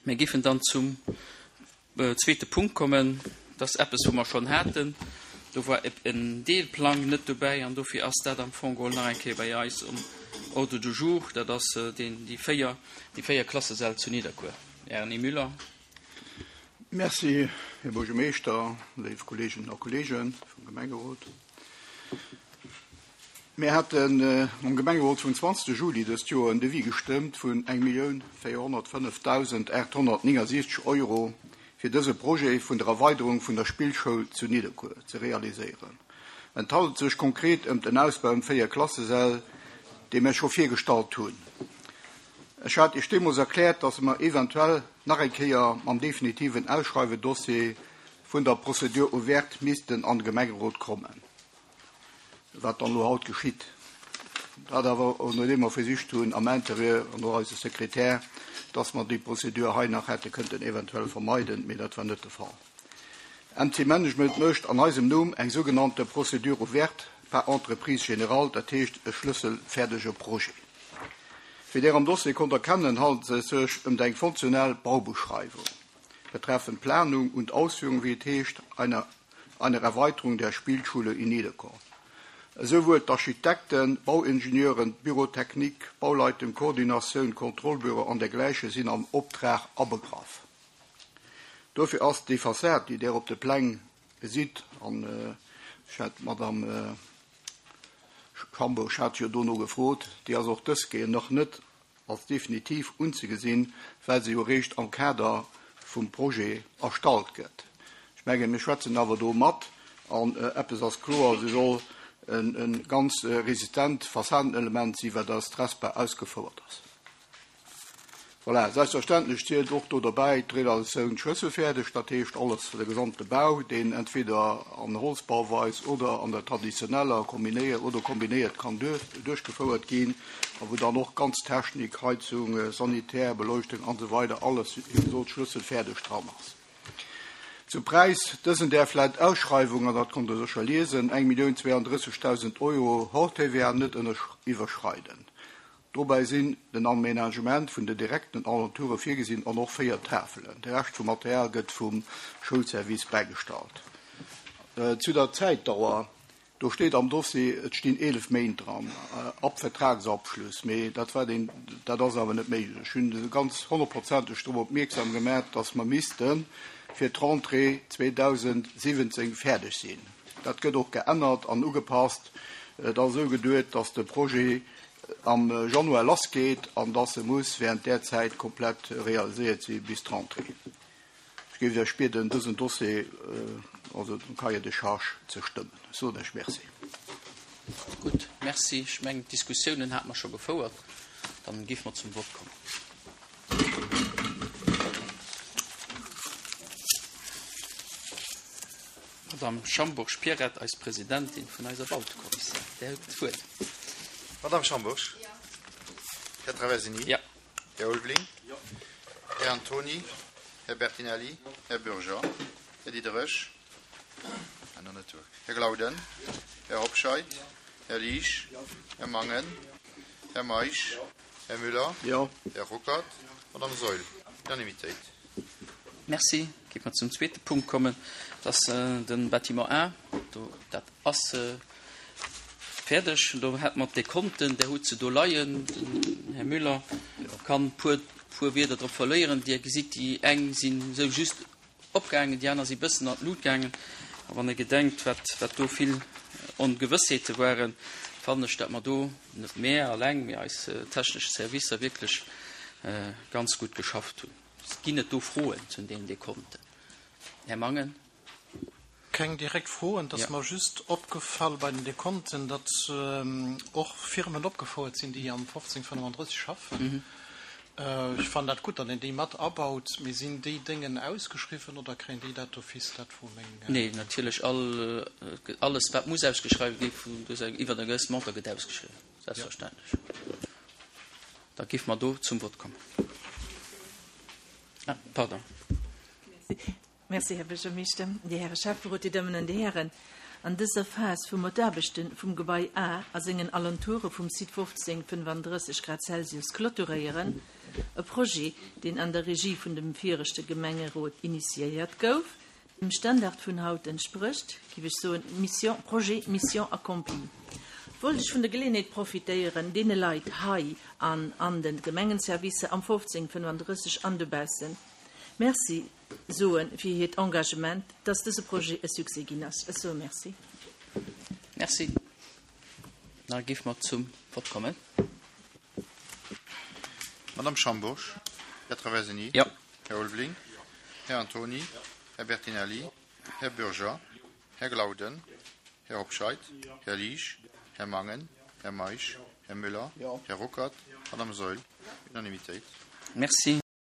Mir géifen dann zum zweete Punkt kommen. Dat ass eppes, wou mer schonn haten. Do war en Deelplang net dobäi an dofir ass dat am Fong geholl nach eng Kéier bei eis um Ordre du jour. Dat ass deen, déi 4, déi 4 Klassesäll zu Nidderkuer. Här Erny Müller. Merci, Här Buergermeeschter, léif Kolleeginnen a Kolleege vum Gemengerot. Mir haten am Gemengerot vum 20 Juli dëst Joer en Devis gestëmmt vun 1.405.869 Euro fir dëse Projet vun der Erweiderung vun der Spillschoul zu Nidderkuer ze realiséieren. Et handelt sech konkret ëmt en Ausbau ëm 4 Klassesäll, dee mir scho virgestallt hunn. Ech hat Iech deemools erkläert, dass mer eventuell nach eng Kéier mam definitiven Ausschreiwedossier vun der Procédure ouverte missten an de Gemengerot kommen. Wat dann elo haut geschitt. Dat awer nodeem mer versicht hunn am Interieur an och eise Sekretär, dass mer déi Prozedur hei nach hätte kënnten eventuell vermeiden, mee dat war net de Fall. MC Management mécht an eisem Numm eng sougenannte Procédure ouverte par entreprise générale, dat heescht e schlësselfäerdege Projet. Wéi Der am Dossier konnt erkennen, handelt et sech ëm eng fonctionnel Baubeschreiwung betreffend Planung und Ausführung, wéi et heescht, einer einer Erweiterung der Spielschule in Niederkorn. Esouwuel d'Architekten, Bauingenieuren, d'Bürotechnik, Bauleitung, Koordinatioun, Kontrollbüro an dergläiche sinn am Optrag abegraff. Dofir ass déi Fassad, déi Der op de Pläng gesitt, an ech hat d'Madame Schambourg hat jo dono gefrot, déi ass och dës Kéier nach net als definitiv unzegesinn, well se jo eréischt am Kader vum Projet erstallt gëtt. Ech mengen, mir schwätzen awer do mat, an eppes ass kloer, Se soll e ganz resistent Fassadenelement sinn, wat als Trespa ausgefouert ass. Voilà, selbstverständlech zielt och do derbäi d'Realisatioun schlësselfäerdeg, dat heescht alles, de gesamte Bau, deen entweder an Holzbauweis oder an der traditioneller kombinéiert oder kombinéiert kann duerchgefouert ginn. a wou dann och ganz Technik, Heizung, Sanitär, Beleuchtung an esou weider alles, wéi gesot, schlësselfäerdeg dran ass. Zum Präis, Dësen däerf laut Ausschreiwung, an dat konnt Der sécher liesen, 1.032.000 Euro hors TVA net iwwerschreiden. Dobäi sinn den Aménagement vun de direkten Alentoure virgesinn an och 4 Tafelen. De Rescht vum Material gëtt vum Schoulservice bäigestallt. Zu der Zäitdauer, Do steet am Dossier, et stinn 11 Méint dran ab Vertragsabschluss, mee dat war deen, dat ass awer net méiglech. Ech hunn se ganz honnertprozenteg drop opmierksam gemaach, dass mer misste fir d'Rentrée 2017 fäerdeg sinn. Dat gëtt och geännert an ugepasst. Et ass esou geduet, dass de Projet am Januar lassgeet an dass e muss während där Zäit komplett realiséiert si bis d'Rentrée. Ech géif Iech bieden, dësen Dossier, also den Cahier de charges, ze stëmmen. Ech soen Iech Merci. Gutt, Merci. Ech mengen, d'Diskussiounen hate mer scho gefouert. Dann géife mer zum Vott kommen. Madame Schambourg Pierrette, eis Presidentin vun eiser Bautekommissioun, Dir hutt d'Wuert. Madame Schambourg. Här Traversini. Jo. Här Ulveling. Här Antoni. Här Bertinelli. Här Bürger. Här Diderich. Här Glauden. Här Hobscheit. Här Liesch. Här Mangen. Här Meisch. Här Müller. Här Ruckert. Madame Saeul. Unanimitéit. Merci. Géife mer zum zweete Punkt kommen. Dat ass de Bâtiment A. Do, dat ass fäerdeg. Do hätte mer d'Dekonten, Där hutt se do leien. Den Här Müller kann puer, puer Wierder drop verléieren. Dir gesitt, déi eng sinn esou just opgaangen, déi aner si bëssen an d'Lut gaangen. A wann ee gedenkt, wat, wat do vill Ongewëssheete waren, fannen ech, datt mer do, net mär alleng, mee eis technesch Servicer wierklech ganz gutt geschafft hunn. Ginn et do Froen zu deenen Dekonten? Här Mangen. Keng direkt Froen. Et ass mer just opgefall bei den Dekonten, datt och Firmen opgefouert sinn, déi am 1535 schaffen. Ech fannen dat gutt, datt een déi mat abaut. Mee sinn déi Déngen ausgeschriwwen oder kréien déi dat d'office? Dat wor meng. Nee, natierlech all, alles wat muss ausgeschriwwen gi vun iwwer e gewësse Montant gëtt ausgeschriwwen, selbstverständlech. Da géife mer do zum Vott kommen. Ah, pardon. Merci, Här Buergermeeschter, Dir Häre Schäfferot, Dir Dammen an Dir Hären. An dëser Phas, wou mer d'Aarbechte vum Gebai A a sengen Alentoure vum Site 15 35 Grad Celsius clôturéieren. E Projet, deen an der Regie vun dem viregte Gemengerot initiéiert gouf, dem Standard vun haut entsprécht, giff ech soen, Mission, Projet, Mission accomplie. Wollt ech vun der Geleeënheet profitéieren, deene Leit hei an an de Gemengenservicer am 1535 an dobaussen Merci soe fir hiert Engagement, dass dëse Projet e Succès ginn ass. Ech soe Merci. Merci. Da géife mer zum Vott kommen. Madame Schambourg, Här Traversini, Jo. Här Ulveling, Här Antony, Här Bertinelli, Här Bürger, Här Glauden, Här Hobscheit, Här Liesch, Här Mangen, Här Meisch, Här Müller, Här Ruckert, Madame Saeul. Unanimitéit. Merci.